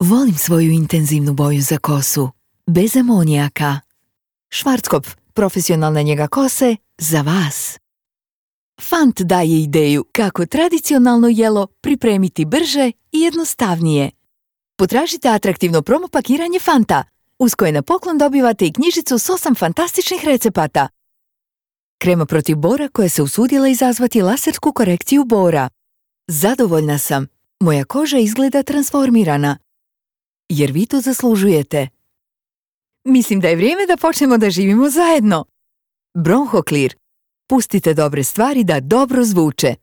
Volim svoju intenzivnu boju za kosu, bez amonijaka. Schwarzkopf, profesionalna njega kose za vas. Fant daje ideju kako tradicionalno jelo pripremiti brže i jednostavnije. Potražite atraktivno promo pakiranje Fanta, uz koje na poklon dobivate i knjižicu s 8 fantastičnih recepata. Krema protiv bora koja se usudila izazvati lasersku korekciju bora. Zadovoljna sam. Moja koža izgleda transformirana. Jer vi to zaslužujete. Mislim da je vrijeme da počnemo da živimo zajedno. Bronhoklir. Pustite dobre stvari da dobro zvuče.